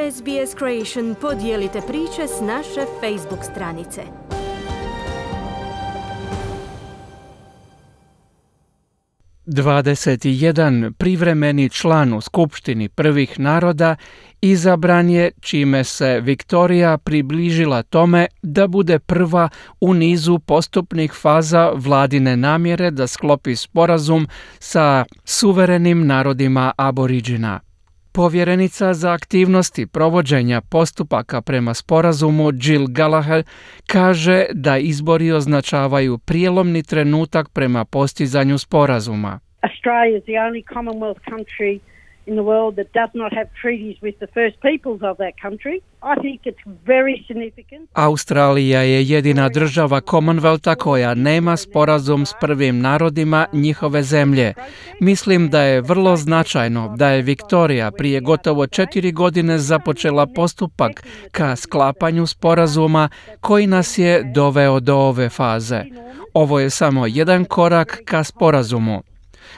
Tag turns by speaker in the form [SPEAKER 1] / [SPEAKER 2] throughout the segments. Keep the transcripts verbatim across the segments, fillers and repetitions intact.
[SPEAKER 1] S B S Creation podijelite priče s naše Facebook stranice.
[SPEAKER 2] dvadeset jedan privremeni član u Skupštini prvih naroda izabran je, čime se Viktorija približila tome da bude prva u nizu postupnih faza vladine namjere da sklopi sporazum sa suverenim narodima Aboriđina. Povjerenica za aktivnosti provođenja postupaka prema sporazumu Jill Gallagher kaže da izbori označavaju prijelomni trenutak prema postizanju sporazuma.
[SPEAKER 3] Australia is the only Commonwealth country in the world that does not have treaties with the first peoples of that country. I think it's very significant.
[SPEAKER 2] Australija je jedina država Commonwealtha koja nema sporazum s prvim narodima njihove zemlje. Mislim da je vrlo značajno da je Viktorija prije gotovo četiri godine započela postupak ka sklapanju sporazuma koji nas je doveo do ove faze. Ovo je samo jedan korak ka sporazumu.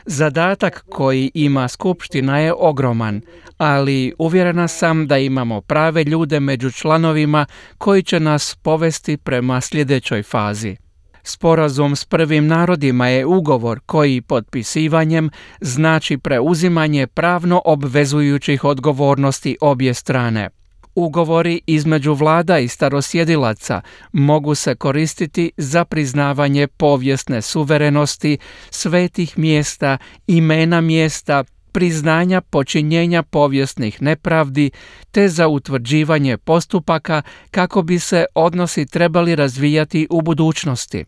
[SPEAKER 2] Zadatak koji ima Skupština je ogroman, ali uvjerena sam da imamo prave ljude među članovima koji će nas povesti prema sljedećoj fazi. Sporazum s prvim narodima je ugovor koji potpisivanjem znači preuzimanje pravno obvezujućih odgovornosti obje strane. Ugovori između vlada i starosjedilaca mogu se koristiti za priznavanje povijesne suverenosti, svetih mjesta, imena mjesta, priznanja počinjenja povijesnih nepravdi, te za utvrđivanje postupaka kako bi se odnosi trebali razvijati u budućnosti.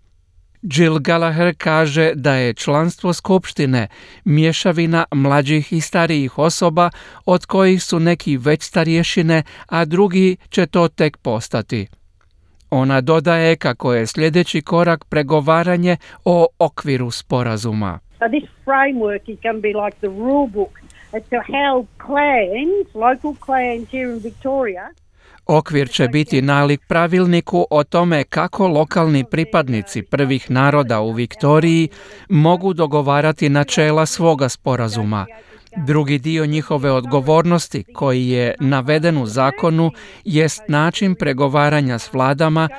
[SPEAKER 2] Jill Gallagher kaže da je članstvo Skupštine mješavina mlađih i starijih osoba, od kojih su neki već starješine, a drugi će to tek postati. Ona dodaje kako je sljedeći korak pregovaranje o okviru sporazuma.
[SPEAKER 3] So this framework is going to be like the rule book as to how clans, local clans here in Victoria.
[SPEAKER 2] Okvir će biti nalik pravilniku o tome kako lokalni pripadnici prvih naroda u Viktoriji mogu dogovarati načela svoga sporazuma. Drugi dio njihove odgovornosti, koji je naveden u zakonu, jest način pregovaranja s vladama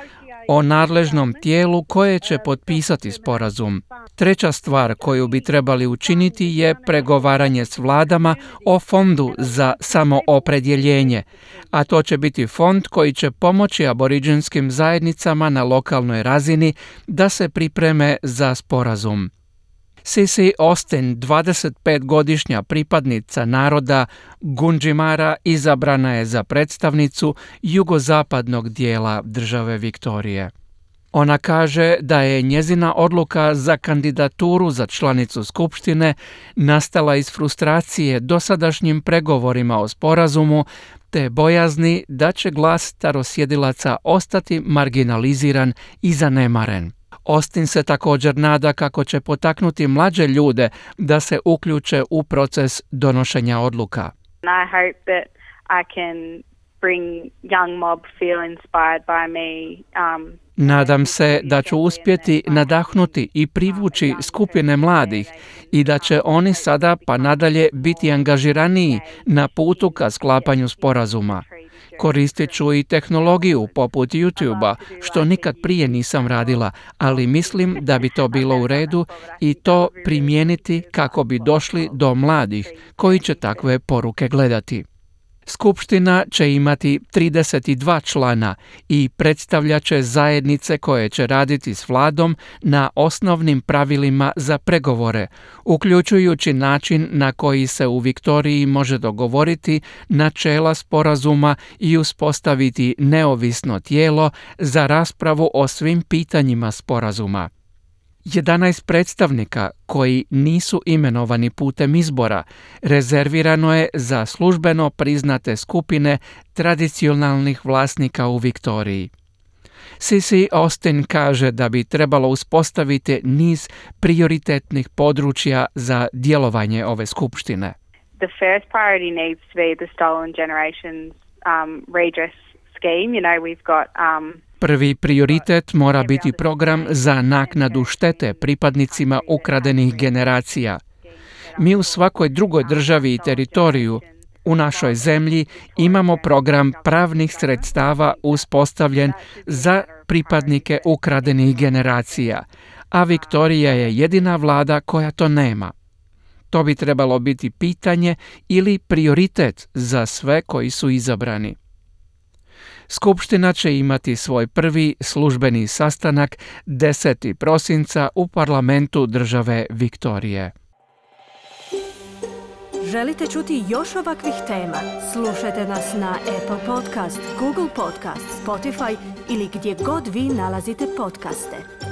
[SPEAKER 2] o nadležnom tijelu koje će potpisati sporazum. Treća stvar koju bi trebali učiniti je pregovaranje s vladama o fondu za samoopredjeljenje, a to će biti fond koji će pomoći aboriđinskim zajednicama na lokalnoj razini da se pripreme za sporazum. Cici Austin, dvadesetpetgodišnja pripadnica naroda Gunditjmara, izabrana je za predstavnicu jugozapadnog dijela države Viktorije. Ona kaže da je njezina odluka za kandidaturu za članicu Skupštine nastala iz frustracije dosadašnjim pregovorima o sporazumu te bojazni da će glas starosjedilaca ostati marginaliziran i zanemaren. Austin se također nada kako će potaknuti mlađe ljude da se uključe u proces donošenja odluka.
[SPEAKER 4] I hope that I can bring young mob feel inspired by me. Um,
[SPEAKER 2] Nadam se da ću uspjeti nadahnuti i privući skupine mladih i da će oni sada pa nadalje biti angažiraniji na putu ka sklapanju sporazuma. Koristit ću i tehnologiju poput YouTube-a, što nikad prije nisam radila, ali mislim da bi to bilo u redu i to primijeniti kako bi došli do mladih koji će takve poruke gledati. Skupština će imati trideset dva člana i predstavljat će zajednice koje će raditi s vladom na osnovnim pravilima za pregovore, uključujući način na koji se u Viktoriji može dogovoriti načela sporazuma i uspostaviti neovisno tijelo za raspravu o svim pitanjima sporazuma. jedanaest predstavnika koji nisu imenovani putem izbora rezervirano je za službeno priznate skupine tradicionalnih vlasnika u Viktoriji. Cici Austin kaže da bi trebalo uspostaviti niz prioritetnih područja za djelovanje ove skupštine.
[SPEAKER 4] The first priority needs to be the Stolen Generations um, redress scheme. You know, we've got um,
[SPEAKER 2] Prvi prioritet mora biti program za naknadu štete pripadnicima ukradenih generacija. Mi u svakoj drugoj državi i teritoriju U našoj zemlji imamo program pravnih sredstava uspostavljen za pripadnike ukradenih generacija, a Viktorija je jedina vlada koja to nema. To bi trebalo biti pitanje ili prioritet za sve koji su izabrani. Skupština će imati svoj prvi službeni sastanak desetog prosinca u parlamentu države Viktorije.
[SPEAKER 1] Želite čuti još ovakvih tema? Slušajte nas na Apple Podcast, Google Podcast, Spotify ili gdje god vi nalazite podcaste.